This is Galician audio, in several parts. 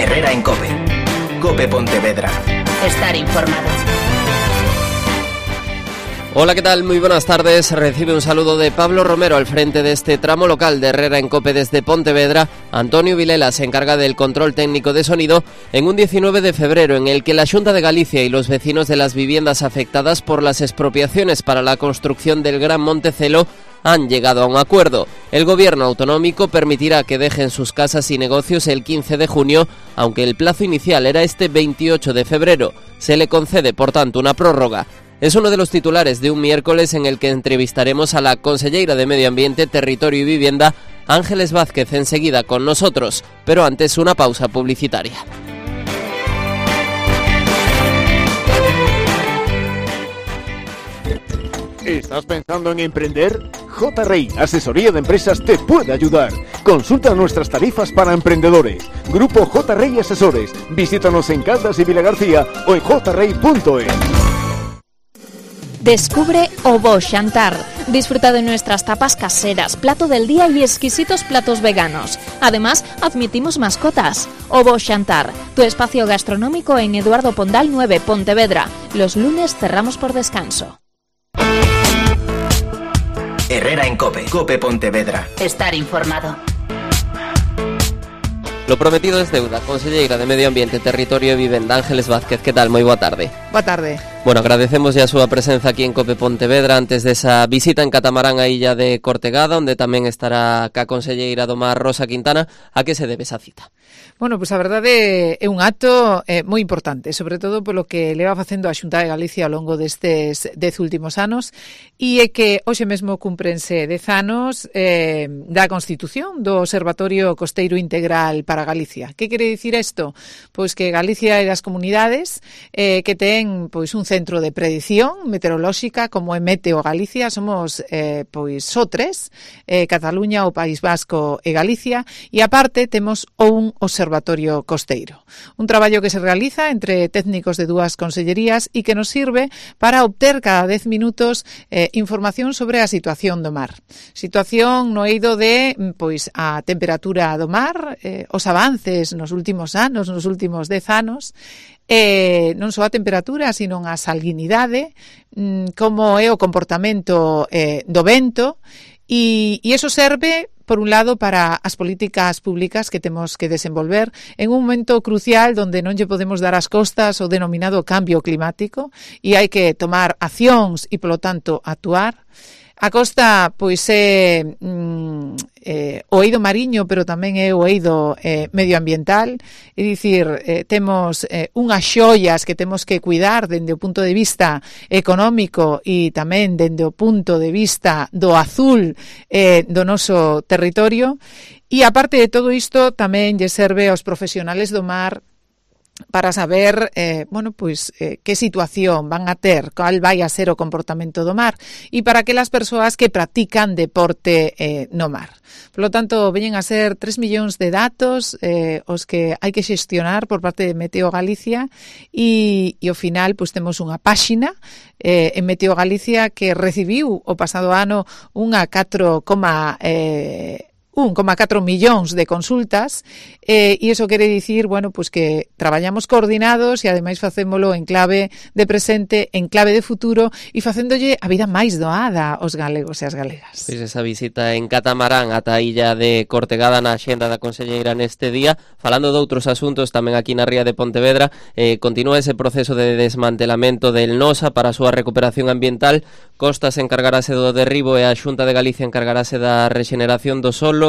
Herrera en COPE. COPE Pontevedra. Estar informado. Hola, ¿qué tal? Muy buenas tardes. Recibe un saludo de Pablo Romero al frente de este tramo local de Herrera en COPE desde Pontevedra. Antonio Vilela se encarga del control técnico de sonido en un 19 de febrero en el que la Xunta de Galicia y los vecinos de las viviendas afectadas por las expropiaciones para la construcción del Gran Montecelo han llegado a un acuerdo. El gobierno autonómico permitirá que dejen sus casas y negocios el 15 de junio, aunque el plazo inicial era este 28 de febrero. Se le concede, por tanto, una prórroga. Es uno de los titulares de un miércoles en el que entrevistaremos a la conselleira de Medio Ambiente, Territorio y Vivienda, Ángeles Vázquez, enseguida con nosotros, pero antes una pausa publicitaria. ¿Estás pensando en emprender? J-Rey Asesoría de Empresas te puede ayudar. Consulta nuestras tarifas para emprendedores. Grupo J-Rey Asesores. Visítanos en Caldas y Vilagarcía o en jrey.es. Descubre o Bo Xantar. Disfruta de nuestras tapas caseras, plato del día y exquisitos platos veganos. Además, admitimos mascotas. O Bo Xantar, tu espacio gastronómico en Eduardo Pondal 9, Pontevedra. Los lunes cerramos por descanso. Herrera en COPE. COPE Pontevedra. Estar informado. Lo prometido es deuda. Conselleira de Medio Ambiente, Territorio e Vivenda, Ángeles Vázquez, que tal? Moi boa tarde. Boa tarde. Bueno, agradecemos ya a súa presenza aquí en COPE Pontevedra antes desa visita en catamarán á illa de Cortegada, onde tamén estará ca conselleira do Mar, Rosa Quintana. A que se debe esa cita? Bueno, pois a verdade é un acto moi importante, sobre todo polo que leva facendo a Xunta de Galicia ao longo destes 10 últimos anos, e é que hoxe mesmo cúmprense 10 anos da Constitución do Observatorio Costeiro Integral para Galicia. Que quere dicir isto? Pois que Galicia é das comunidades que ten pois un centro de predición meteorolóxica como é Meteo Galicia. Somos pois só tres, Cataluña, o País Vasco e Galicia, e aparte temos un observatorio costeiro. Un traballo que se realiza entre técnicos de dúas consellerías e que nos sirve para obter cada 10 minutos información sobre a situación do mar. Situación no eido de pois a temperatura do mar, os avances nos últimos anos, nos últimos 10 anos, non só a temperatura, sino a salinidade, como é o comportamento do vento, e iso serve, por un lado, para as políticas públicas que temos que desenvolver en un momento crucial onde non lle podemos dar as costas ao denominado cambio climático e hai que tomar accións e, polo tanto, actuar. A costa, pois, é o eido mariño, pero tamén é o eido medioambiental, é dicir, temos unhas xoias que temos que cuidar dende o punto de vista económico e tamén dende o punto de vista do azul do noso territorio, e aparte de todo isto tamén lle serve aos profesionales do mar para saber, que situación van a ter, cal vai a ser o comportamento do mar, e para aquelas persoas que practican deporte no mar. Por lo tanto, veñen a ser 3 millóns de datos os que hai que xestionar por parte de Meteo Galicia, e ao final pois temos unha páxina en Meteo Galicia que recibiu o pasado ano unha 1,4 millóns de consultas, e iso quere dicir, pois que traballamos coordinados e ademais facémolo en clave de presente, en clave de futuro e facéndolle a vida máis doada aos galegos e as galegas. Pois esa visita en catamarán ata a illa de Cortegada na axenda da conselleira neste día. Falando de outros asuntos, tamén aquí na ría de Pontevedra, continúa ese proceso de desmantelamento del Nosa para a súa recuperación ambiental. Costas encargarase do derribo e a Xunta de Galicia encargarase da rexeneración do solo.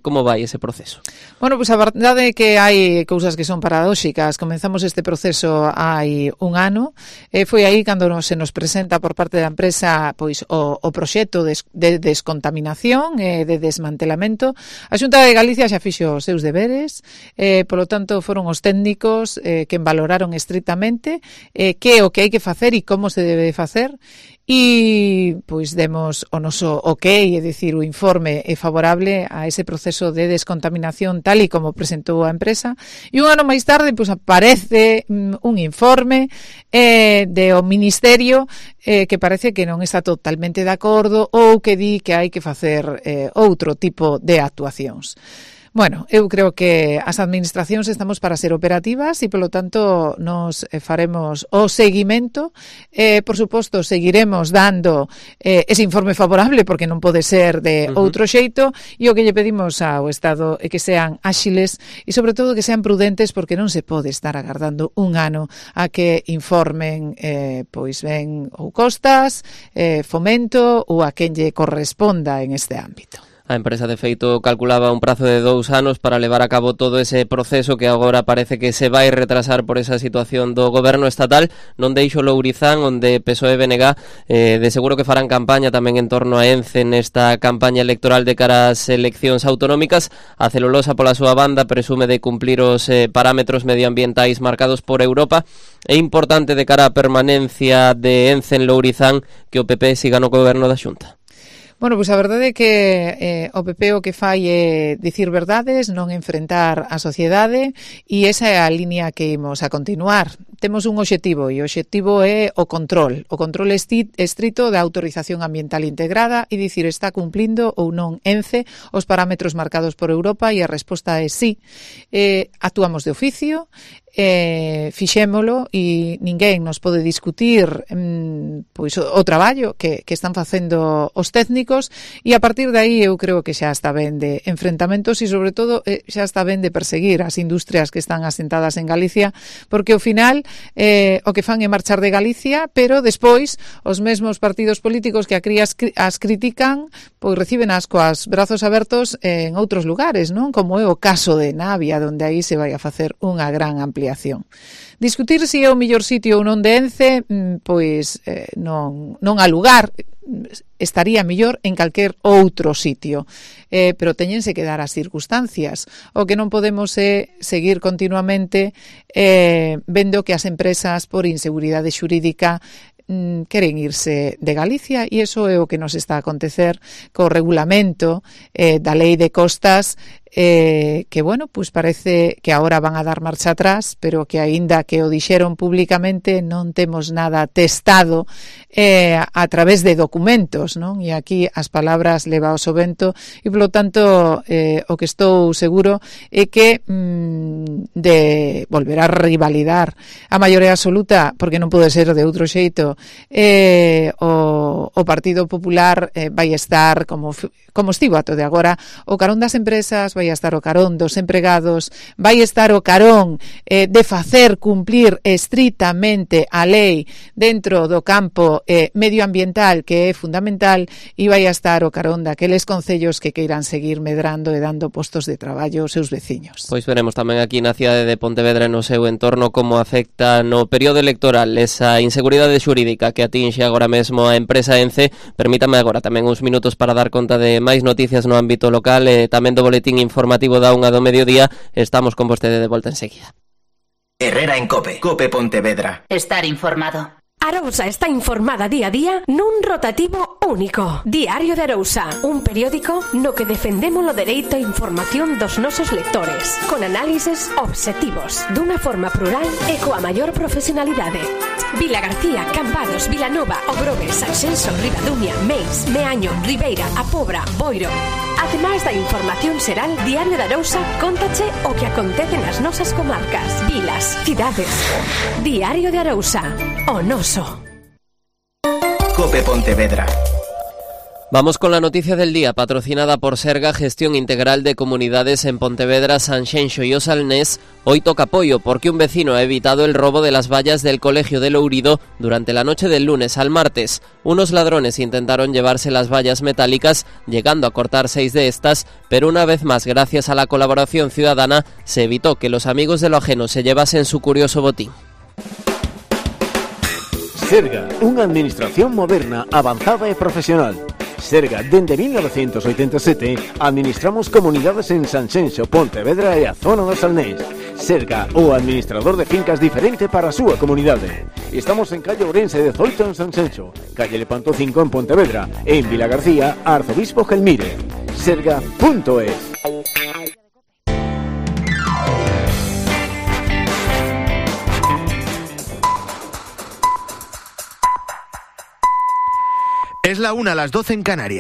Como vai ese proceso? Bueno, pois a verdade é que hai cousas que son paradóxicas. Comenzamos este proceso hai un ano. Foi aí cando se nos presenta por parte da empresa pois o proxecto de descontaminación e de desmantelamento. A Xunta de Galicia xa fixo os seus deberes, polo tanto foron os técnicos que valoraron estritamente que é o que hai que facer e como se debe facer. E pois demos o noso ok, é dicir, o informe é favorable a ese proceso de descontaminación tal e como presentou a empresa, e un ano máis tarde pois aparece un informe do Ministerio que parece que non está totalmente de acordo ou que di que hai que facer outro tipo de actuacións. Bueno, eu creo que as administracións estamos para ser operativas e, polo tanto, nos faremos o seguimento. Por suposto, seguiremos dando ese informe favorable, porque non pode ser de outro xeito, e o que lle pedimos ao Estado é que sean áxiles e, sobre todo, que sean prudentes, porque non se pode estar agardando un ano a que informen pois ben ou Costas, Fomento ou a quen lle corresponda en este ámbito. A empresa, de feito, calculaba un prazo de 2 anos para levar a cabo todo ese proceso que agora parece que se vai retrasar por esa situación do goberno estatal. Non deixo Lourizán, onde PSOE e BNG de seguro que farán campaña tamén en torno a ENCE nesta campaña electoral de cara ás eleccións autonómicas. A Celulosa, pola súa banda, presume de cumplir os parámetros medioambientais marcados por Europa. É importante de cara á permanencia de ENCE en Lourizán que o PP siga no goberno da Xunta. Bueno, pois a verdade é que o PP o que fai é dicir verdades, non enfrentar a sociedade, e esa é a línea que imos a continuar. Temos un obxectivo, e o obxectivo é o control estrito da autorización ambiental integrada e dicir está cumplindo ou non ENCE os parámetros marcados por Europa, e a resposta é sí. Actuamos de oficio, fixémolo, e ninguén nos pode discutir pois o traballo que están facendo os técnicos, e a partir de aí eu creo que xa está ben de enfrentamentos e, sobre todo, xa está ben de perseguir as industrias que están asentadas en Galicia, porque ao final o que fan é marchar de Galicia, pero despois os mesmos partidos políticos que as critican pois reciben as coas brazos abertos en outros lugares, non? Como é o caso de Navia, onde aí se vai a facer unha gran ampliación. Discutir se é o mellor sitio ou non de ENCE, pois non há lugar, estaría mellor en calquer outro sitio, pero teñense que dar as circunstancias. O que non podemos é seguir continuamente vendo que as empresas, por inseguridade xurídica, queren irse de Galicia, e iso é o que nos está a acontecer co regulamento da lei de costas, que, bueno, pues parece que agora van a dar marcha atrás, pero que aínda que o dixeron públicamente non temos nada testado a través de documentos, non? E aquí as palabras levaos o vento, e polo tanto o que estou seguro é que de volver a rivalidar a maioría absoluta, porque non pode ser de outro xeito, o Partido Popular vai estar como estivo ato de agora o carón das empresas, vai estar o carón dos empregados, vai estar o carón de facer cumplir estritamente a lei dentro do campo medioambiental, que é fundamental, e vai estar o carón daqueles concellos que queiran seguir medrando e dando postos de traballo aos seus veciños. Pois veremos tamén aquí na cidade de Pontevedra e no seu entorno como afecta no período electoral esa inseguridade xurídica que atinxe agora mesmo a empresa ENCE. Permítame agora tamén uns minutos para dar conta de máis noticias no ámbito local e tamén do boletín informativo da 1 do mediodía. Estamos con vostede de volta enseguida. Herrera en COPE. COPE Pontevedra. Estar informado. Arousa está informada día a día nun rotativo único. Diario de Arousa, un periódico no que defendemos o dereito a información dos nosos lectores, con análises obxectivos, dunha forma plural e coa maior profesionalidade. Vilagarcía, Cambados, Vilanova, Ogrobes, Sanxenxo, Ribadumia, Meis, Meaño, Ribeira, A Pobra, Boiro. Ademais da información xeral, Diario de Arousa cóntache o que acontece nas nosas comarcas, vilas, cidades. Diario de Arousa, o noso. COPE Pontevedra. Vamos con la noticia del día, patrocinada por Serga, Gestión Integral de Comunidades en Pontevedra, Sanxenxo y Osalnés. Hoy toca apoyo porque un vecino ha evitado el robo de las vallas del Colegio de Lourido durante la noche del lunes al martes. Unos ladrones intentaron llevarse las vallas metálicas, llegando a cortar 6 de estas, pero una vez más, gracias a la colaboración ciudadana, se evitó que los amigos de lo ajeno se llevasen su curioso botín. Serga, unha administración moderna, avanzada e profesional. Serga, dende 1987, administramos comunidades en Sanxenxo, Pontevedra e a zona do Salnés. Serga, o administrador de fincas diferente para a súa comunidade. Estamos en calle Ourense 18 en Sanxenxo, calle Lepanto 5 en Pontevedra, e en Vilagarcía, Arzobispo Gelmire. Serga.es. Es la 1, las 12 en Canarias.